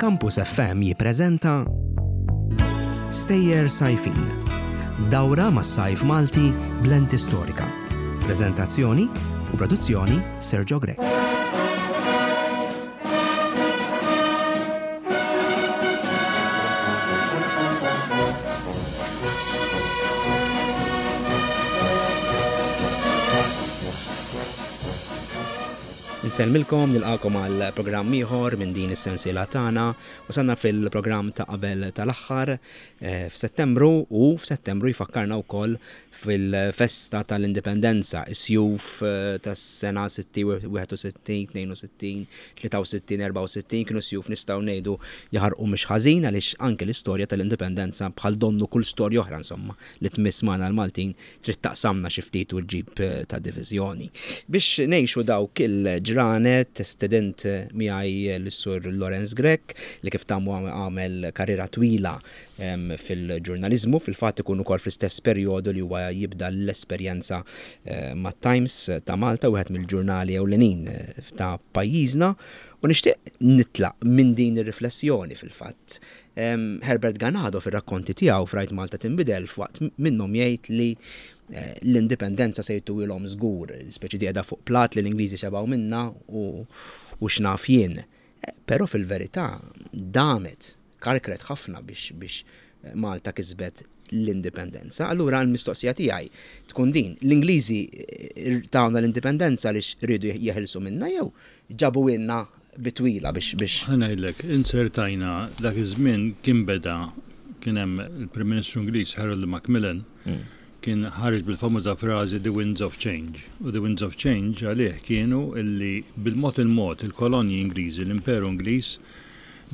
Campus FM jippreżenta Stejjer Sajfin. Dawra mas-sajf Malti b'lenti storika. Preżentazzjoni u produzzjoni Sergio Grech. Insellmilkom, nilqakom għal programm ieħor minn din is-sensiela tagħna. Wasalna fil-programm ta' qabel tal-aħħar eh, f'Settembru u f'Settembru jfakkarna wkoll fil-festa tal-Indipendenza, is-sjuf eh, tas-sena 60, 61, 62, 63, 64 kienu sjuf nistgħu ngħidu jaħarqu mhux ħażin għaliex anke l-istorja tal-Indipendenza bħal donnu kull storja oħra insomma li tmiss magħna l-Maltin trid taqsamna xi ftit u ġġib ta' diviżjoni. Biex ngħixu dawk il-ġranet stedint miegħi lis-Sur Lawrence Grech li kif tamu għamel karriera twila fil-ġurnaliżmu, fil-fatt ikun ukoll fl-istess perjodu li huwa jibda l-esperjenza mat-Times ta' Malta, wieħed mill-ġurnali ewlenin ta' pajjiżna. U nixtieq nitlaq minn din ir-riflessjoni fil-fatt. Herbert Ganado fir-rakkonti tiegħu f'Rajt Malta Tinbidel f'waqt minnhom jgħid li eh, l-indipendenza se jtuwilhom żgur, speċi di qiegħda fuq plat li l-Ingliżi xebgħu minna u x'naf jien. Eh, però fil-verità damet, karkret ħafna biex biex Malta kisbet l-indipendenza. Allura l-mistoqsija tiegħi tkun din, l-Ingliżi eh, tawna l-indipendenza li rridu jeħilsu minna jew ġabuhielna bi twila biex biex. Ħa ngħidlek, inzertajna dak iż-żmien kien beda kien hemm il-Prim Ministru Ingliż Harold Macmillan kien ħareġ bil-famuża frażi the winds of change. U the winds of change għalih kienu illi bil-mod il-mod il-kolonji Ingliżi, l-Imperu Ingliż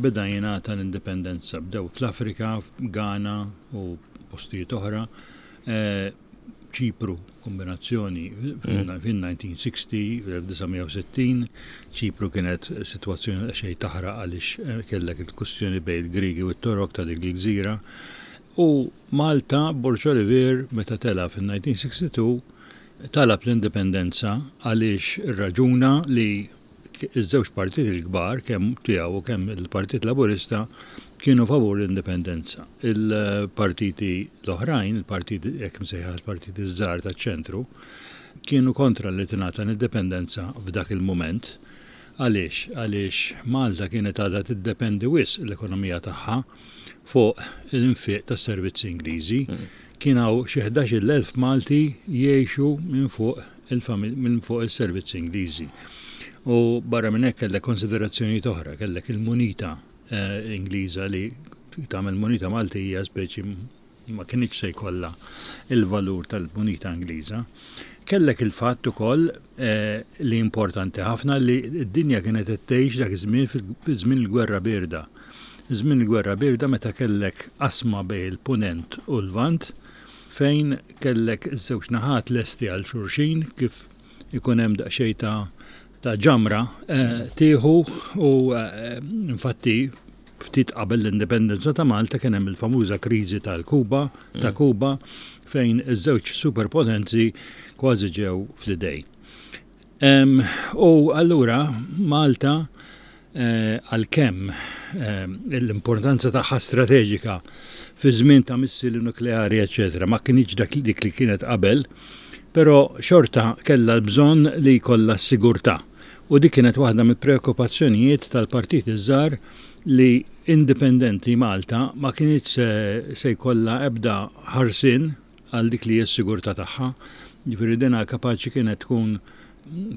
beda jingħata l-indipendenza. Bdew fl-Afrika, f'Ghana u postijiet oħra. Ċipru, kombinazzjoni fin-1960, 1960, Ċipru kienet sitwazzjoni xejn taħraq għaliex eh, kellek il-kustjoni bejn il-Griegi u t-Torok ta' dik il-gżira. U Malta, Borg Olivier, meta tela fin-1962, talab l-indipendenza għaliex irraġuna li iż-żewġ partiti l-kbar, kemm tiegħu u kemm il-Partit Laburista, kienu favur l-indipendenza. Il-partiti l-oħrajn, il-partiti hekk imsejħa l-partiti ż-żgħar taċ-ċentru, kienu kontra li tingħata l-indipendenza f'dak il-mument. Għaliex? Għaliex Malta kienet għadha tiddependi wisq l-ekonomija tagħha fuq l-infiq tas-servizzi Ingliżi. Kien hawn xi 11,000 Malti jgħixu minn fuq minn fuq is-servizzi Ingliżi. U barra minn hekk kellek konsiderazzjonijiet oħra, kellek il-munita eh, Ingliża li tagħmel munita Maltija speċi ma kinitx se jkollha il-valur tal-munita Ingliża. Kellek il-fatt ukoll eh, li importanti ħafna li d-dinja kienet qed tgħix dak iż-żmien fil-żmien il-Gwerra Birda. Żmien il-Gwerra Birda meta kellek qasma bejn il-Punent u l-Lvant fejn kellek iż-żewġ naħat lesti għal xulxin kif ikun hemm daqsxejn ta' ta' ġamra eh, tieħu u eh, infatti ftit qabel l-indipendenza ta' Malta kien hemm il-famuża kriżi tal-Kuba, ta' mm. Kuba fejn iż-żewġ superpotenzi kważi ġew fl-idej. U allura Malta Għalkemm l-importanza tagħha strateġika fi żmien ta' missili nukleari eċċetera ma kinitx dak dik li kienet qabel, però xorta kellha l-bżonn li jkollha s-sigurtà. U dik kienet waħda mill-preokkupazzjonijiet tal-partiti ż-żgħar li indipendenti Malta ma kinitx se jkollha ebda ħarsien għal dik li hi s-sigurtà tagħha. Jiġifieri dinha kapaċi kienet tkun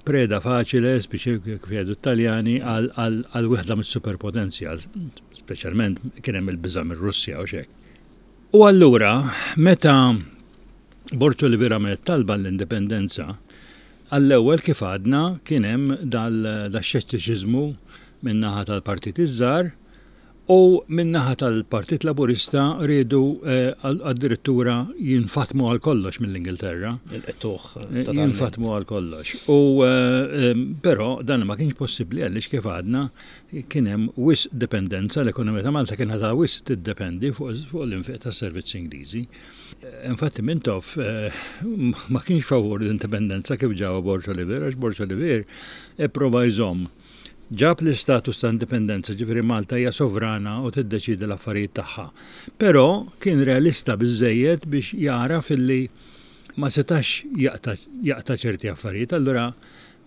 preda faċile, speċi kif jgħidu t-Taljani, għal wieħda mis-superpotenzi, speċjalment kien hemm il-biża' mir-Russja u x'hekk. U allura meta Borg Olivier għamel talba l-indipendenza, għall-ewwel kif għadna kien hemm dal-xettiċiżmu min-naħa tal-partiti ż-żgħar, U min-naħa tal-Partit Laburista riedu addirittura jinfatmu għal kollox mill-Ingilterra. Il-qtugħ totalment. Jinfatmu għal kollox. U però dan ma kienx possibbli għaliex kif għadna kien hemm wisq dipendenza, l-ekonomija ta' Malta kienet għadha wisq tiddependi fuq l-infiq tas-servizzi Ingliżi. Infatti Mintoff ma kienx favur l-indipendenza kif ġabha Borg Olivier għax Borg Olivier ipprova jżomm. Ġab l-istatus ta' indipendenza, ġifieri Malta hija sovrana u tiddeċiedi l-affarijiet tagħha. Però kien realista biżżejjed biex jagħraf illi ma setax jaqta' ċerti affarijiet. Allura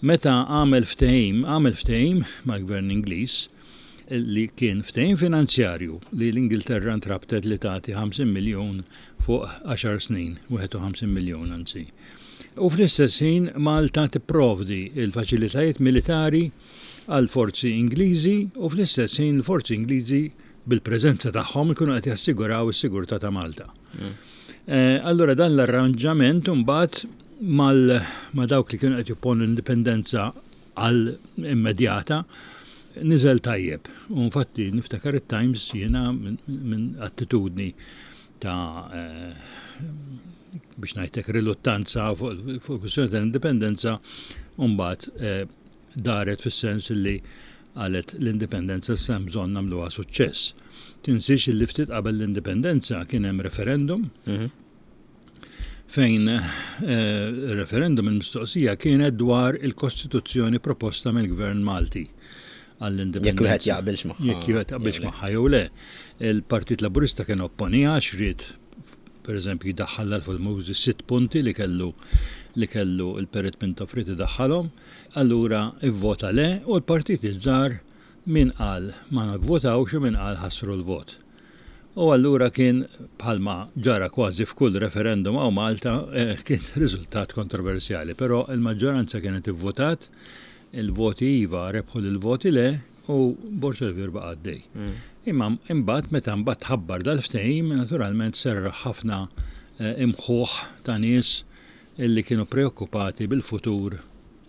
meta għamel ftehim, għamel ftehim mal-Gvern Ingliż li kien ftehim finanzjarju li l-Ingilterra ntrabtet li tagħti 50 miljun fuq għaxar snin, 51 miljun anzi. U fl-istess ħin Malta tipprovdi l-faċilitajiet militari għall-forzi Ingliżi u fl-istess ħin il-forzi Ingliżi bil-preżenza tagħhom ikunu qed jassiguraw is-sigurtà ta' Malta. Allura dan l-arranġament imbagħad ma' dawk li kienu qed jopponu l-indipendenza għal immedjata niżel tajjeb. U infatti niftakar it-Times jiena minn attitudni ta' biex ngħidlek riluttanza fuq kwistjoni tal-indipendenza u mbagħad daret fis-sens li qalet l-indipendenza issa hemm bżonn nagħmluha suċċess. Tinsiex li ftit qabel l-indipendenza kien hemm referendum fejn referendum il-mistoqsija kienet dwar il-Kostituzzjoni proposta mill-Gvern Malti għall-indipendenza. Jekk wieħed jaqbilx magħha. Jekk wieħed jaqbilx magħha jew le. Il-Partit Laburista kien opponiha għax ried pereżempju jdaħħal l-famużi sitt punti li kellu li kellu l-Perit Mintoff ried idaħħalhom, allura ivvota le u l-partiti ż-żgħar min qal ma nivvotawx u min qal ħassru l-vot. U allura kien, bħalma ġara kważi f'kull referendum hawn Malta, kien riżultat kontroversjali. Però il-maġġoranza kienet ivvutat, il-voti iva rebħu lill-voti le u Borg Olivier baqa' għaddej. Imma imbagħad meta mbagħad tħabbar dal-ftehim, naturalment serraħ ħafna imħuħ ta' nies illi kienu preokkupati bil-futur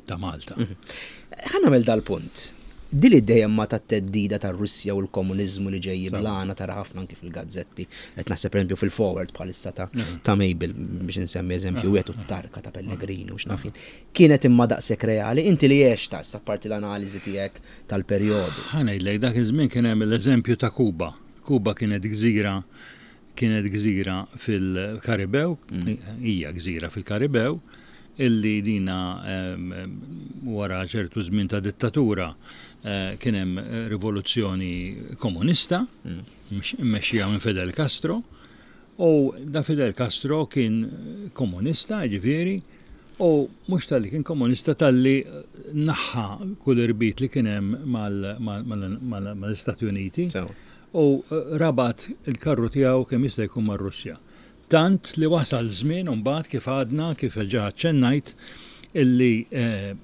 ta' Malta. Ħa nagħmel dal-punt. Din l-idea imma tat-theddida tar-Russja u l-komuniżmu li ġej jiblana tara ħafna anki fil-gazzetti. Qed naħseb pereżempju fil-Forward bħalissa ta' ta' Mabel biex insemmi eżempju wieħed u t-tarka ta' Pellegrini u x'naf jien. Kienet imma daqshekk reali? Inti li għextha issa apparti l-analiżi tiegħek tal-perjodu. Ħa ngħidlek, dak iż-żmien kien hemm l-eżempju ta' Kuba. Kuba kienet gżira Kienet gżira fil-Karibew, hija gżira fil-Karibew, illi dina wara ċertu żmien ta' dittatura kien hemm rivoluzzjoni komunista mmexxija minn Fidel Castro u da Fidel Castro kien komunista, jiġifieri, u mhux talli kien komunista talli naħħa kull irbit li kien hemm mal-Istati Uniti. U rabat il-karru tiegħu kemm jista' jkun mar-Russja. Tant li wasal żmien imbagħad kif għadna, kif ġa aċċennajt, illi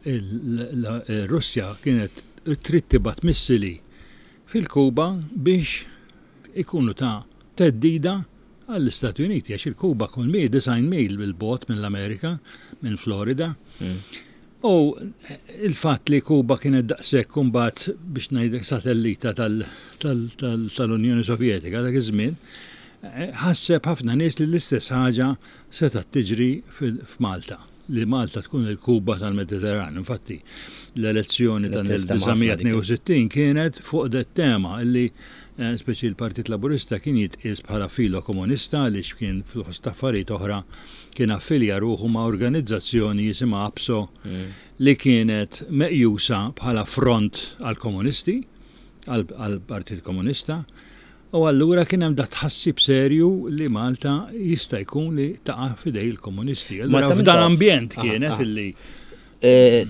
r-Russja kienet trid tibgħat missili fil-Kuba biex ikunu ta' theddida għall-Istati Uniti għax il-Kuba kull mil 90 mil bil-bogħod mill-Amerika, minn Florida. U il-fatt li Kuba kienet daqshekk imbagħad biex ngħidlek satellita tal-Unjoni Sovjetika dak iż-żmien, ħasseb ħafna nies li l-istess ħaġa setgħet tiġri f'Malta, li Malta tkun il-Kuba tal-Mediterran. Infatti, l-elezzjoni tal-1962 kienet fuq det tema li speċi l-Partit Laburista kien jitqies bħala filo komunista għaliex kien fost affarijiet oħra kien affilja ruħu ma' organizzazzjoni jisimha APSO li kienet meqjusa bħala front għall-komunisti, għall-Partit Komunista. U allura kien hemm dat tħassib serju li Malta jista' jkun li taqa' f'idej il-komunisti. Allura f'dan ambjent kienet illi.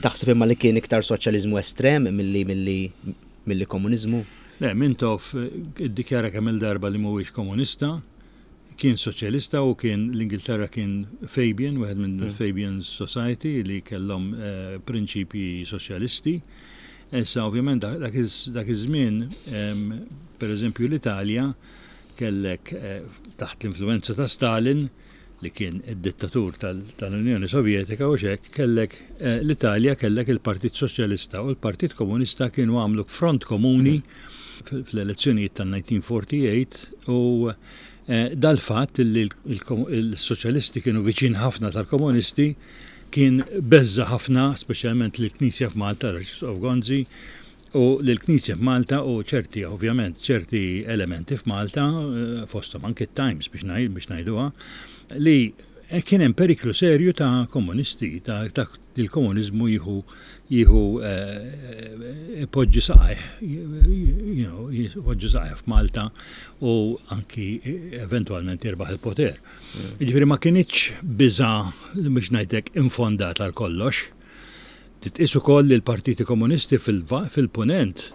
Taħseb imma li kien iktar soċjaliżmu estrem milli milli milli komuniżmu? Le, Mintoff iddikjara kemm-il darba li mhuwiex komunista, kien soċjalista u kien l-Ingilterra kien Fabian, wieħed minn Fabian Society li kellhom prinċipji soċjalisti. Issa ovvjament dak iż-żmien, pereżempju l-Italja kellek taħt l-influwenza ta' Stalin, li kien id-dittatur tal-Unjoni Sovjetika u x'hekk, kellek l-Italja kellek il-Partit Soċjalista u l-Partit Komunista kienu għamlu front komuni fl-elezzjonijiet tan-1948 u dal-fatt li l-Soċjalisti kienu viċin ħafna tal-Komunisti kien beżża' ħafna, speċjalment lill-Knisja f'Malta, l-Arċisqof Gonzi, u lill-Knisja f'Malta u ċerti, ovvjament, ċerti elementi f'Malta, fosthom anki t-Times biex ngħid, biex ngħiduha, li Kien hemm periklu serju ta' komunisti, ta' il-komuniżmu jieħu jieħu ipoġġi saqajh, you know, ipoġġi saqajh f'Malta u anki eventwalment jirbaħ il-poter. Jiġifieri ma kinitx biża' biex ngħidlek infondata għal kollox. Titqies ukoll li l-partiti komunisti fil-Punent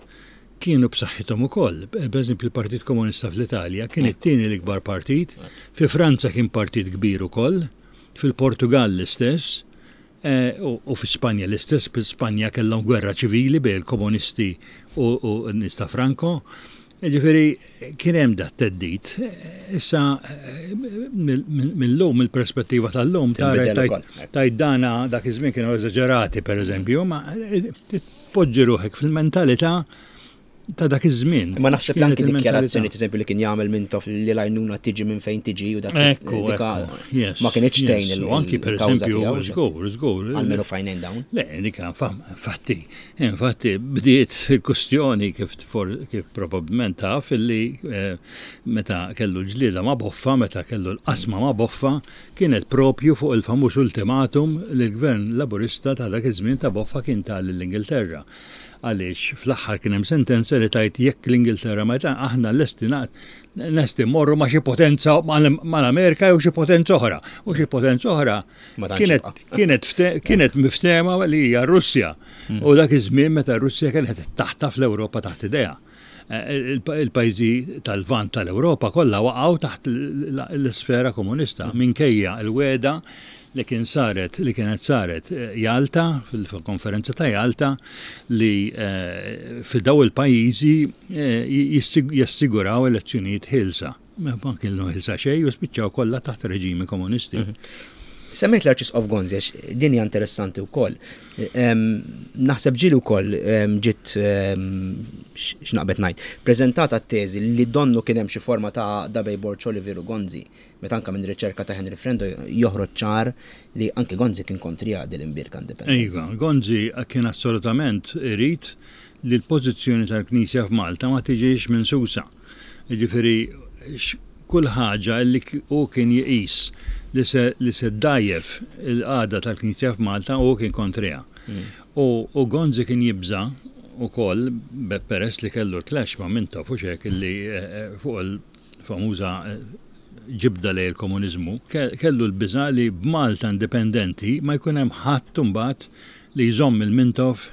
kienu b'saħħithom ukoll. Pereżempju l-Partit Komunista fl-Italja kien it-tieni l-ikbar partit, fi Franza kien partit kbir ukoll, fil-Portugall l-istess, u fi Spanja l-istess, fi Spanja kellhom gwerra ċivili bejn il-komunisti u n-nies ta' Franco. Jiġifieri kien hemm dat theddid. Issa mill-lum, mill-perspettiva tal-lum, tara tgħid dana dak iż-żmien kienu eżaġerati pereżempju, ma tpoġġi ruħek fil-mentalità ta' dak iż-żmien. Ma naħseb li anki dikjarazzjoni eżempju li kien jagħmel Mintoff li l-għajnuna tiġi minn fejn tiġi u dak Ekku, ma kienx tgħin il Anki per eżempju, żgur, żgur. Almenu fajnejn dawn. Le, dik infatti, infatti bdiet il-kustjoni kif kif probabbilment taf illi eh, meta kellu l-ġlieda ma' Boffa, meta kellu l-qasma ma' Boffa, kienet propju fuq il-famuż ultimatum li l-Gvern Laburista ta' dak iż-żmien ta' Boffa kien ta lill-Ingilterra. Għaliex fl-aħħar kien hemm sentenza li tgħid jekk l-Ingilterra ma aħna lesti lesti mmorru ma' xi potenza mal-Amerika jew xi potenza oħra. U xi potenza oħra kienet kienet kienet miftehma li hija r-Russja. Mm. U dak iż-żmien meta r-Russja kienet taħtaf l-Ewropa taħt idejha. Eh, il-pajjiżi tal-Lvant tal-Ewropa kollha waqgħu taħt l-isfera komunista mm. minkejja l-wegħda li kien saret li kienet saret eh, Jalta fil-konferenza ta' Jalta li eh, fil-daw il-pajjiżi jassiguraw elezzjonijiet ħielsa. Ma kienu ħilsa xejn u spiċċaw kollha taħt reġimi komunisti. Mhm. Semmejt l-Arċisqof Gonzi għax din hija interessanti wkoll. Naħseb ġieli wkoll ġiet x'naqbet ngħid, preżentata t-teżi li donnu kien hemm xi forma ta' għaqda bejn Borg Olivier u Gonzi, meta anke minn riċerka ta' Henry Frendo joħroġ ċar li anke Gonzi kien kontriha din l-imbierka indipendenza. Iva, Gonzi kien assolutament irid li l-pożizzjoni tal-Knisja f'Malta ma tiġix minsusa. Jiġifieri kull ħaġa li hu kien jqis li se li se ddgħajjef il-qagħda tal-Knisja f'Malta hu kien kontriha. U u Gonzi kien jibża' wkoll peress li kellu l-clash ma' Mintoff u x'hekk illi fuq il-famuża ġibda lejn il-komuniżmu, kellu l-biża' li b'Malta indipendenti ma jkun hemm ħadd imbagħad li jżomm il-Mintoff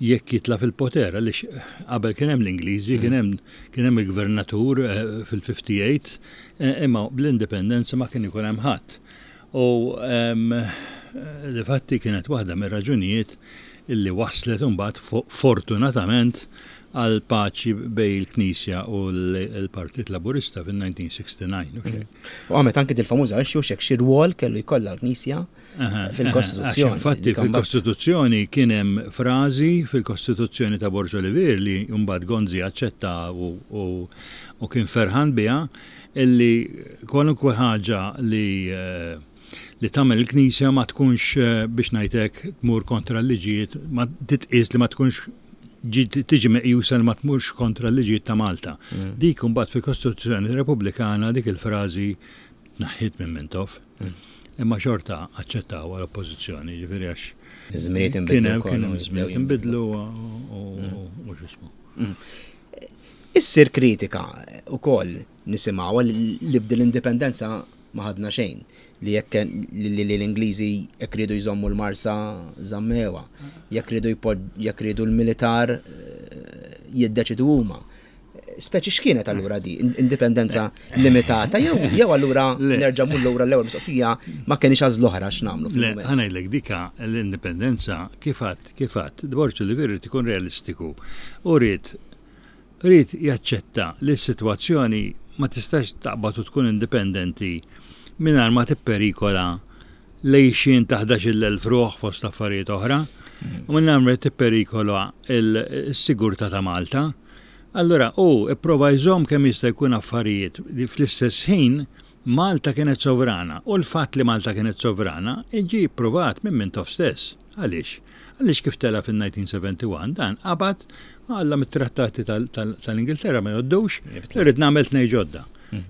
jekk jitla' fil-poter, għaliex qabel kien hemm l-Ingliżi, kien hemm kien hemm il-gvernatur eh, fil-58, eh, imma bl-indipendenza ma kien ikun hemm ħadd. U ehm, difatti kienet waħda mir-raġunijiet illi waslet imbagħad fortunatament għal paċi bej il-Knisja u l-Partit Laburista fil-1969. U għamet anki dil-famuża għal xi xi rwol kellu jkollha l-Knisja fil-Kostituzzjoni. Infatti fil-Kostituzzjoni kien hemm frażi fil-Kostituzzjoni ta' Borg Olivier li mbagħad Gonzi aċċetta u kien ferħan biha illi kwalunkwe ħaġa li eh, li tagħmel il-Knisja ma tkunx eh, biex ngħidlek tmur kontra l-liġijiet, ma titqies li ma tkunx tiġi meqjusa li ma tmurx kontra l-liġijiet ta' Malta. Mm. Dik imbagħad fil-Kostituzzjoni Repubblikana dik il-frażi Tneħħiet minn Mintoff, imma xorta aċċettawha l-Oppożizzjoni, jiġifieri għax. Iż-żminijiet inbidlu. Kien hemm żminijiet inbidlu u x'ismu. Mm. Issir kritika wkoll nisimgħu li bdil indipendenza ma ħadna xejn li jekk li l-Ingliżi jekk ridu jżommu l-Marsa żammewa, jekk ridu jekk ridu l-militar eh, jiddeċidu huma. Speċi x'kienet allura di? Indipendenza limitata jew jew allura nerġa' mur lura l-ewwel mistoqsija ma kienx għażla oħra x'nagħmlu fil-mument. Ħa ngħidlek dika l-indipendenza kif għadt kif għadt Borg Olivier irid ikun realistiku u ried ried jaċċetta li s-sitwazzjoni ma tistax taqbad u tkun indipendenti mingħajr ma tipperikola l-għixien ta' 11,000 ruħ fost affarijiet oħra u mingħajr ma tipperikola l-sigurtà ta' Malta. Allura hu pprova jżomm kemm jista' jkun affarijiet li fl-istess ħin Malta kienet sovrana u l-fatt li Malta kienet sovrana ġie ppruvat minn Mintoff stess. Għaliex? Għaliex kif tela' fin-1971 dan qabad u qallhom it-trattati tal-Ingilterra ma jgħoddux, irrid nagħmel tnejn ġodda.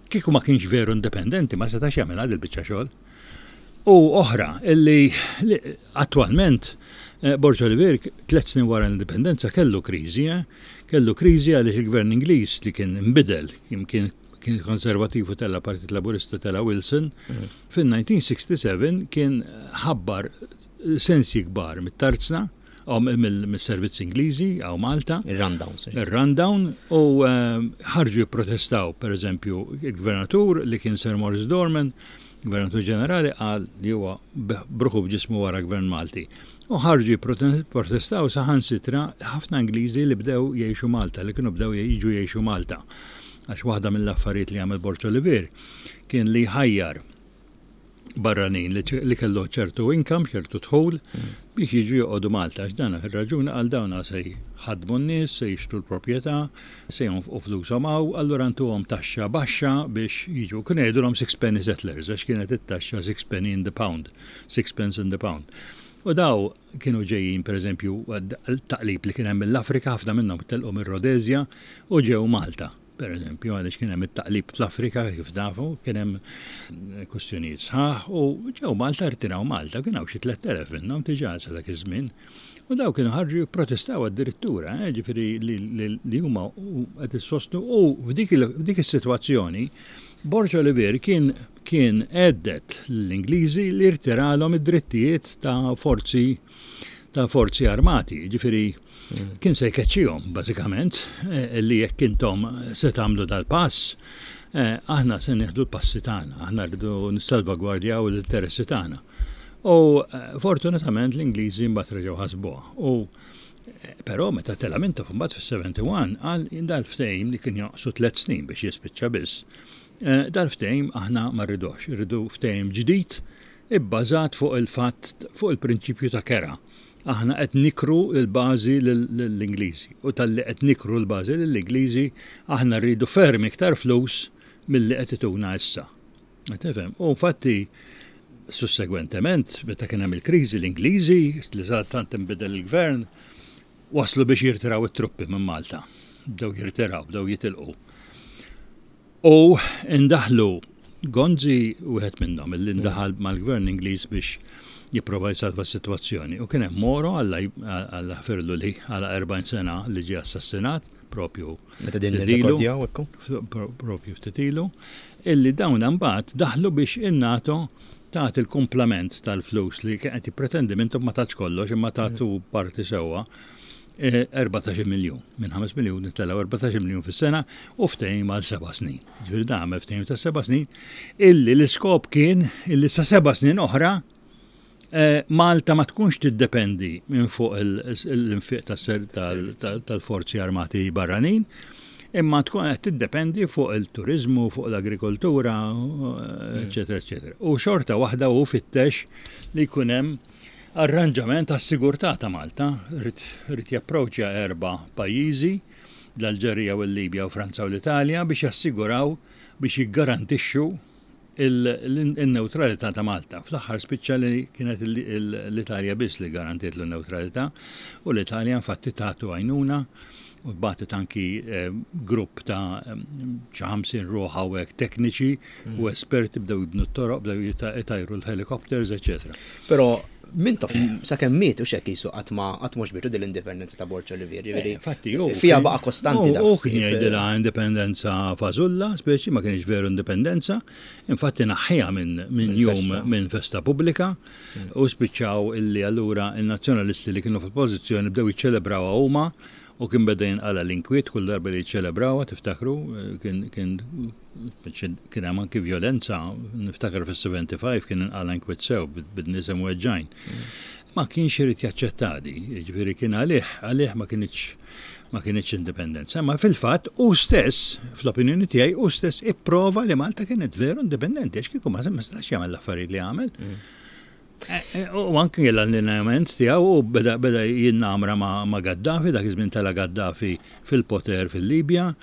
Kieku ma kienx veru indipendenti ma setax jagħmilha dil-biċċa xogħol. U oħra illi attwalment Borg Olivier tlet snin wara l-indipendenza kellu kriżi, eh? Kellu kriżi għaliex il-gvern Ingliż li kien inbidel, kien kien konservativ u tella Partit Laburista tella Wilson, mm. fin-1967 kien ħabbar sensi kbar mit-tarzna, mis-servizz Ingliżi għaw Malta. Il-rundown. Il-rundown u eh, ħarġu jipprotestaw, per eżempju, il-gvernatur li kien Sir Morris Dorman, Gvernatur Ġenerali qal li huwa bruħu b'ġismu wara Gvern Malti. U ħarġu jipprotestaw saħansitra ħafna Ingliżi li bdew jgħixu Malta, li kienu bdew jiġu jgħixu Malta. Għax waħda mill-affarijiet li għamel Borg Olivier kien li jħajjar barranin li kellu ċertu income, ċertu dħul, biex jiġu joqogħdu Malta. Għax dan ir-raġuni għal dawna se jħaddmu n-nies, se jixtru l-proprjetà, se jonfqu flushom hawn, allura ntuhom taxxa baxxa biex jiġu. Kienu jgħidulhom sixpenny settlers għax kienet it-taxxa sixpenny in the pound, sixpence in the pound. U daw kienu ġejjin pereżempju taqlib li kien hemm mill-Afrika, ħafna minnhom telqu mir-Rhodesia u ġew Malta. Per eżempju, għaliex kien hemm it-taqlib fl-Afrika, kif nafu, kien hemm kustjonijiet sħaħ u ġew Malta rtiraw Malta, kien hawn xi 3000 minnhom diġà sa dak iż-żmien. U daw kienu ħarġu jipprotestaw addirittura, eh, ġifieri li huma qed issostnu u f'dik is-sitwazzjoni Borg Olivier kien kien għeddet l-Ingliżi li rtiralhom id-drittijiet ta' forzi ta' forzi armati, ġifieri mm. kien se jkeċċihom bażikament eh, li jekk intom se tagħmlu dal-pass, eh, aħna se nieħdu l-passi tagħna, aħna rridu nissalvagwardjaw l-interessi tagħna. U fortunatament l-Ingliżi mbagħad reġgħu ħasbuha. U però meta tela' Mintoff mbagħad fis-71 qal dal-ftehim li kien jonqsu tliet snin biex jispiċċa biss. Eh, dal-ftehim aħna ma rridux, irridu ftehim ġdid ibbażat fuq il-fatt fuq il-prinċipju ta' kera. Aħna qed nikru l-bażi lill-Ingliżi u talli qed nikru l-bażi lill-Ingliżi aħna rridu ferm iktar flus milli qed ituna issa. Tifhem? U infatti, sussegwentement, meta kien hemm il-kriżi, l-Ingliżi, li tant inbidel il-gvern, waslu biex jirtiraw it-truppi minn Malta. Bdew jirtiraw, bdew jitilqu. U indaħlu Gonzi wieħed minnhom illi ndaħal mal-gvern Ingliż biex jipprova jsalva s-sitwazzjoni. U kien hemm Moro Alla ħfirlu li għala 40 sena li ġie assassinat propju. Meta din nirrekordjaw ekku? Propju ftit ilu, illi dawn imbagħad daħlu biex in-NATO tagħti l-kumplament tal-flus li kien qed jippretendi Mintoff ma tatx kollox imma tatu parti sewwa 14 eh, miljun. Minn 5 miljun telgħu 14 miljun fis-sena u ftehim għal seba' snin. Ġifieri dan għamel ftehim ta' seba' snin illi l-iskop kien illi sa seba' snin oħra Eh, Malta ma tkunx tiddependi minn fuq l-infiq tal-forzi armati barranin, imma tkun qed tiddependi fuq il-turizmu, fuq l-agrikoltura, eċetera, eċetera. U xorta waħda hu fittex li jkun hemm arranġament għas-sigurtà ta' Malta, ried japproċċja erba' pajjiżi, l-Alġerija u l-Libja u Franza u l-Italja biex jassiguraw biex jiggarantixxu il-newtralità ta' Malta. Fl-aħħar spiċċa li kienet l-Italja biss li garantiet l-newtralità u l-Italja infatti tatu għajnuna u bagħtet anki eh, grupp ta' xi 50 ruħ hawnhekk tekniċi u mm. esperti bdew jibnu t-toroq, bdew jitajru l-helicopters, eċetera. Però Mintoff sakemm miet u xek jisu qatt ma qatt mhux bitu l-indipendenza ta' Borg Olivier, ġifieri. Eh, infatti, fija baqa' kostanti dak. U kien jgħidilha indipendenza fażulla, speċi ma kienx veru indipendenza, infatti naħħiha minn jum minn festa pubblika mm. u spiċċaw illi allura il-nazzjonalisti li kienu fil-pożizzjoni bdew jiċċelebrawha huma u kien beda jinqala l-inkwiet kull darba li jiċċelebrawha, tiftakru, eh, kien Kien hemm anki vjolenza, niftakar fis-75 kien inqala' inkwiet sew bin-nies imweġġgħin. Ma kienx irid jaċċetta di, jiġifieri kien għalih, għalih ma kinitx ma kinitx indipendenza. Ma fil-fatt hu stess, fl-opinjoni tiegħi, hu stess ipprova li Malta kienet veru indipendenti, għax kieku ma setax jagħmel l-affarijiet li għamel. Mm. Eh, eh, u anki l-allineament tiegħu u beda beda jinnamra ma' Gaddafi, dak iż-żmien tela' Gaddafi fil-poter fil-Libja,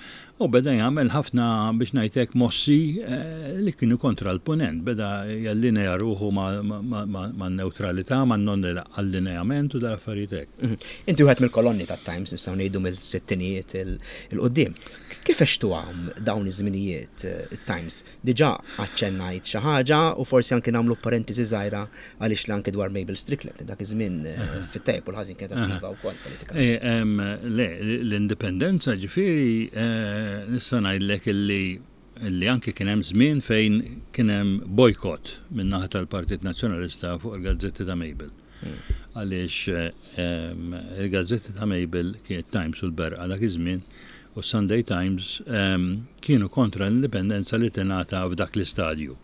U beda jagħmel ħafna biex ngħid hekk mossi eh, li kienu kontra l-punent, beda jallinea ruħu man-newtralità, man-non allineament u dal-affarijiet hekk. Mhm. Inti wieħed mill-kolonni tat-Times nistgħu ngħidu mill-sittinijiet il-qudiem. Kif għextuhom dawn iż-żminijiet eh, it-Times? Diġà aċċennajt xi ħaġa u forsi anki nagħmlu parentesi żgħira għaliex li anki dwar Mabel Strickland li dak iż-żmien eh, fit-tajjeb u l-ħażin kienet attiva wkoll politikament. Eh, le, l-indipendenza ġifieri eh, nista' ngħidlek illi illi anki kien hemm żmien fejn kien hemm bojkott min-naħa tal-Partit Nazzjonalista fuq il-gazzetti ta' Mabel. Hmm. Għaliex il-gazzetti ta' Mabel kienet Times u l-Berqa dak iż-żmien u s-Sunday Times kienu kontra l-indipendenza li tingħata f'dak l-istadju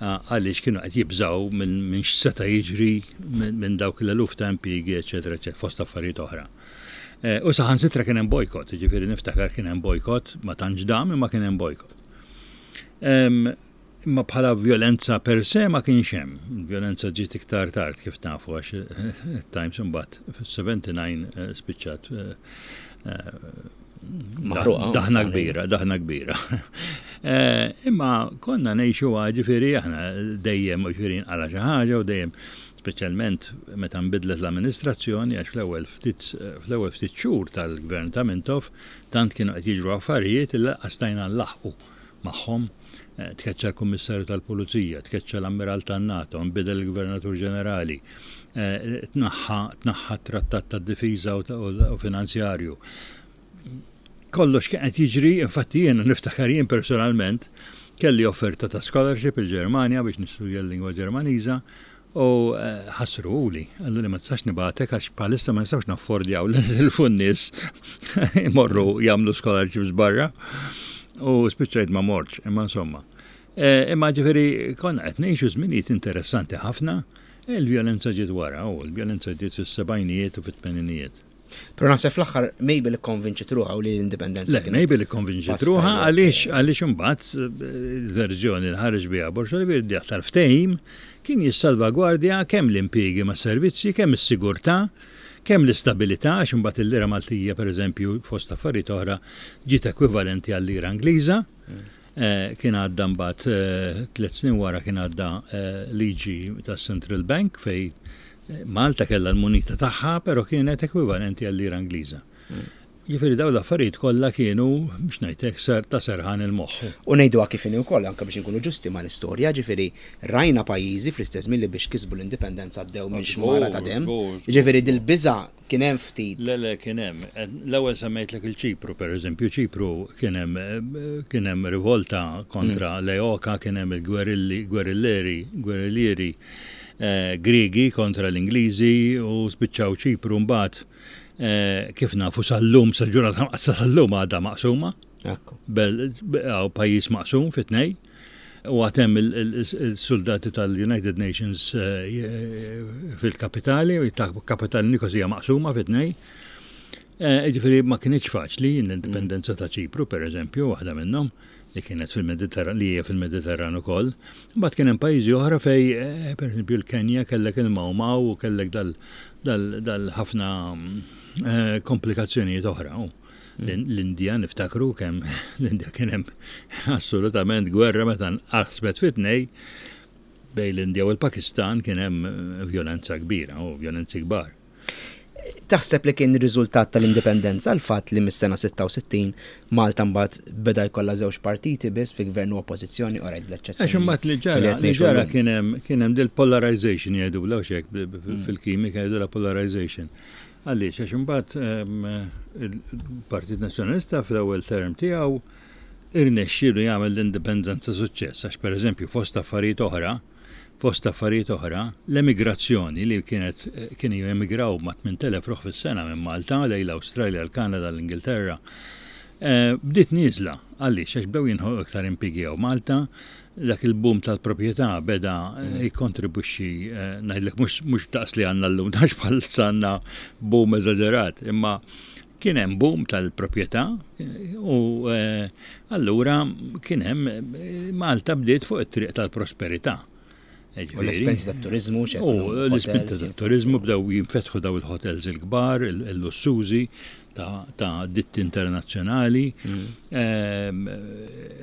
għaliex kienu qed jibżgħu minn x'seta' jiġri minn dawk l-eluf ta' impjiegi, eċetera, eċetera, fost affarijiet oħra. Eh, u saħansitra kien hemm bojkott, jiġifieri niftakar kien hemm bojkott, ma tantx dam imma kien hemm bojkott. Imma bħala vjolenza per se ma kienx hemm. Vjolenza ġiet iktar tard kif nafu għax it-Times imbagħad fis-79 eh, spiċċat eh, eh, daħna kbira, daħna kbira. Imma konna ngħixu ġifieri aħna dejjem ġifieri nqala xi ħaġa u dejjem speċjalment meta nbidlet l-amministrazzjoni għax fl-ewwel ftit fl-ewwel ftit xhur tal-gvern ta' Mintoff tant kienu qed jiġru affarijiet li lanqas stajna nlaħħqu magħhom. Tkeċċa l-Kummissarju tal-Pulizija, tkeċċa l-Ammiral tan-NATO, nbidel il-Gvernatur Ġenerali, tnaħħa tnaħħa t-Trattat tad-Difiża u Finanzjarju. Kollox kien qed jiġri, infatti jiena niftakar jien personalment kelli offerta ta' scholarship il-Ġermanja biex nistudja l-lingwa Ġermaniża U ħassruhuli, qaluli ma tistax nibgħatek għax bħalissa ma nistgħux naffordjaw li nitilfu n-nies imorru jagħmlu scholarships barra. U spiċċajt ma mortx, imma insomma. E, imma ġifieri konna qed ngħixu żminijiet interessanti ħafna, il-vjolenza ġiet wara, u l-vjolenza ġiet fis-sebgħinijiet u fit-tmeninijiet. Però naħseb fl-aħħar Mabel ikkonvinċiet ruħha u li l-indipendenza. Le, Mabel ikkonvinċiet ruħha għaliex għaliex imbagħad eh, il-verżjoni li ħareġ biha Borg Olivier tal-ftehim kien jissalvagwardja kemm l-impjiegi mas-servizzi, kemm is-sigurtà, kemm l-istabilità għax imbagħad il-lira Maltija pereżempju fost affarijiet oħra ġiet ekwivalenti għal-lira Ingliża. Mm. Eh, kien għadda mbagħad eh, tliet snin wara kien għadda liġi tas-Central Bank fej Malta kellha l-munita tagħha, però kienet ekwivalenti għal-lira Ingliża. Jiġifieri dawn l-affarijiet kollha kienu, biex ngħid hekk, ser ta' serħan il-moħħ. U ngħiduha kif inhi wkoll, anke biex inkunu ġusti mal-istorja, ġifieri rajna pajjiżi fl-istess żmien li biex kisbu l-indipendenza għaddew minn xmara ta' demm. Jiġifieri dil-biża' kien hemm ftit. Le, le, kien hemm. L-ewwel semmejtlek il-Ċipru, pereżempju, Ċipru kien hemm kien hemm rivolta kontra l-EOKA, kien hemm il-gwerilli, gwerilleri, gwerillieri Griegi kontra l-Ingliżi u spiċċaw Ċipru mbagħad kif nafu sal-lum sal-ġurnata sal-lum għadha maqsuma. Bel pajjiż maqsum fi tnej. U għad hemm il-soldati tal-United Nations fil-kapitali, kapitali Nikosija maqsuma fi tnej. Ġifieri ma kinitx faċli l-indipendenza ta' Ċipru, per eżempju, waħda minnhom li kienet fil-Mediterran, li hija fil-Mediterran ukoll. Imbagħad kien hemm pajjiżi oħra fejn, eh, pereżempju l-Kenja kellek il-Mau Mau u kellek dal-ħafna eh, komplikazzjonijiet oħra. L-Indja niftakru kemm l-Indja kien hemm assolutament gwerra meta nqasmet fi tnej bejn l-Indja u l-Pakistan kien hemm eh, vjolenza kbira u vjolenzi kbar. Taħseb li kien riżultat tal-indipendenza l-fatt li mis-sena 66 Malta mbagħad beda jkollha żewġ partiti biss fi gvern u oppożizzjoni orajt bl-eċċezzjoni. Għax imbagħad li ġara li ġara kien hemm kien hemm dil-polarization jgħidulha u hekk mm. fil-kimika jgħidulha polarization. Għaliex għax imbagħad ehm, il-Partit Nazzjonalista fl-ewwel term tiegħu irnexxielu jagħmel l-indipendenza suċċess għax pereżempju fost affarijiet oħra Fost affarijiet oħra, l-emigrazzjoni li kienet kienu jemigraw ma' 8,000 ruħ fis-sena minn Malta lejn l-Awstralja, l-Kanada, l-Ingilterra, bdiet nieżla. Għaliex? Għax bdew jinħolqu iktar impjiegi hawn Malta, dak il-boom tal-proprjetà beda jikkontribwixxi, ngħidlek mhux daqs li għandna llum, għax bħalissa għandna boom eżaġerat, imma Kien hemm boom tal-proprjetà u allura kien hemm Malta bdiet fuq it-triq tal-prosperità. U l-ispinta tat-turiżmu U l-ispinta tat-turiżmu bdew jinfetħu daw il-hotels il-kbar, il-lussużi. ta' ditti internazzjonali,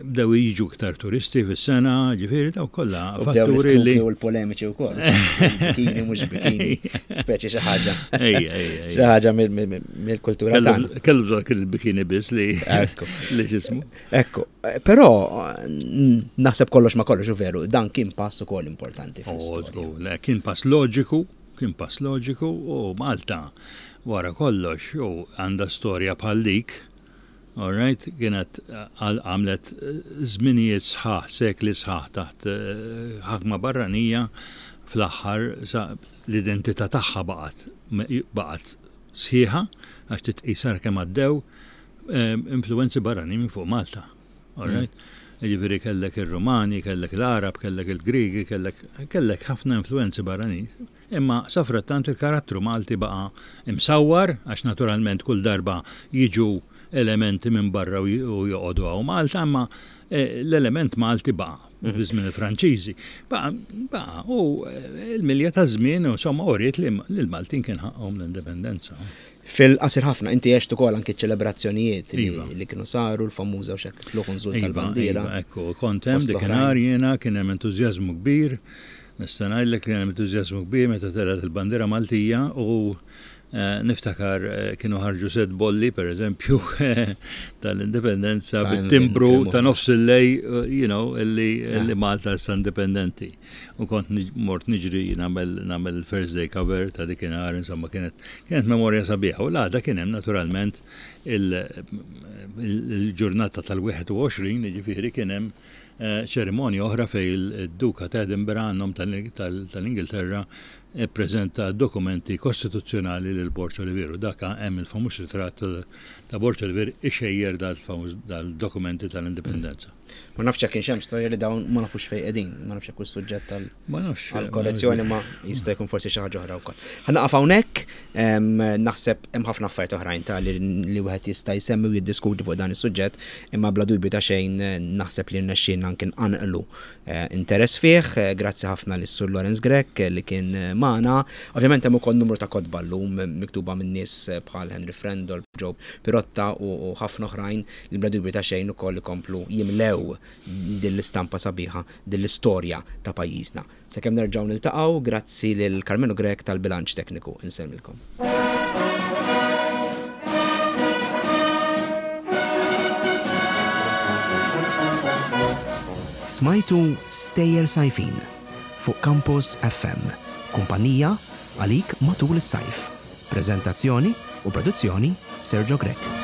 bdew jiġu iktar turisti fis-sena, ġifieri daw kollha fatturi li. U l-polemiċi wkoll. Bikini mhux bikini, speċi xi ħaġa. Xi ħaġa mill-kultura tagħna. Kellu bżonn kien il-bikini biss li li x'ismu. Ekku, però naħseb kollox ma kollox u veru, dan kien pass ukoll importanti. Oh, kien pass loġiku Kien pass loġiku u Malta wara kollox u għandha storja bħal dik, all right, kienet għamlet żminijiet sħaħ, sekli sħaħ taħt ħakma barranija, fl-aħħar sa l-identità tagħha baqgħet baqgħet sħiħa għax titqis ara kemm għaddew influwenzi barranin minn fuq Malta. All right? Jiġifieri kellek ir-Rumani, kellek l-Għarab, kellek il-Griegi, kellek kellek ħafna influwenzi barranin. Imma safrattant il-karattru Malti baqa' imsawwar għax naturalment kull darba jiġu elementi minn barra u joqogħdu hawn Malta, imma l-element Malti baqa' fi żmien il-Franċiżi. Baqa' baqa' u l-milja taż-żmien insomma uriet li l-Maltin kien ħaqqhom l-indipendenza. Fil-qasir ħafna, inti għext ukoll anki ċ-ċelebrazzjonijiet iva. li kienu saru, l-famuża u xek tlugħ nżul iva, tal-bandiera. Iva, ekku, kont hemm dikinhar jiena kien hemm entużjażmu kbir, nista' ngħidlek kien hemm entużjażmu kbir meta telgħet il-bandiera Maltija u eh, niftakar eh, kienu ħarġu set bolli, per eżempju, tal-indipendenza bit-timbru ta' nofs il-lej, eh, you know, illi ah. Malta issa indipendenti. U kont mort niġri nagħmel nagħmel il-first day cover ta' dikinhar, insomma kienet kienet memorja sabiħa. U l-għada kien hemm naturalment il-ġurnata tal-21, jiġifieri kien hemm ċerimonja oħra fejn id-Duka ta' Edinburgh għan-nom tal-Ingilterra ppreżenta d-dokumenti kostituzzjonali lil Borg Olivier. U dak hemm il-famuż ritratt ta' Borg Olivier ixejjer dal-dokumenti tal-indipendenza. Ma nafx jekk kienx hemm storja li dawn ma nafux fejn qegħdin, ma nafx jekk hux suġġett tal għall-korrezzjoni ma jista' jkun forsi xi ħaġa oħra wkoll. Ħa naqaf hawnhekk, naħseb hemm ħafna affarijiet oħrajn ta' li wieħed jista' jsemmi u jiddiskuti fuq dan is-suġġett, imma bla dubju ta' xejn naħseb li rnexxielna anke nqanqlu eh, interess fih. Eh, grazzi ħafna lis Sur Lawrence Grech li kien magħna. Ovvjament hemm ukoll numru ta' kotba llum miktuba minn nies bħal Henry Frendol, Joe Pirotta u ħafna oħrajn li bla dubju ta' xejn ukoll ikomplu jimlew din l-istampa sabiħa, din l-istorja ta' pajjiżna. Sakemm nerġgħu niltaqgħu, grazzi lil Karmenu Grech tal-bilanċ tekniku. Insellmilkom. Smajtu Stejjer Sajfin fuq Campus FM, kumpanija għalik matul is-sajf. Preżentazzjoni u produzzjoni Sergio Grech.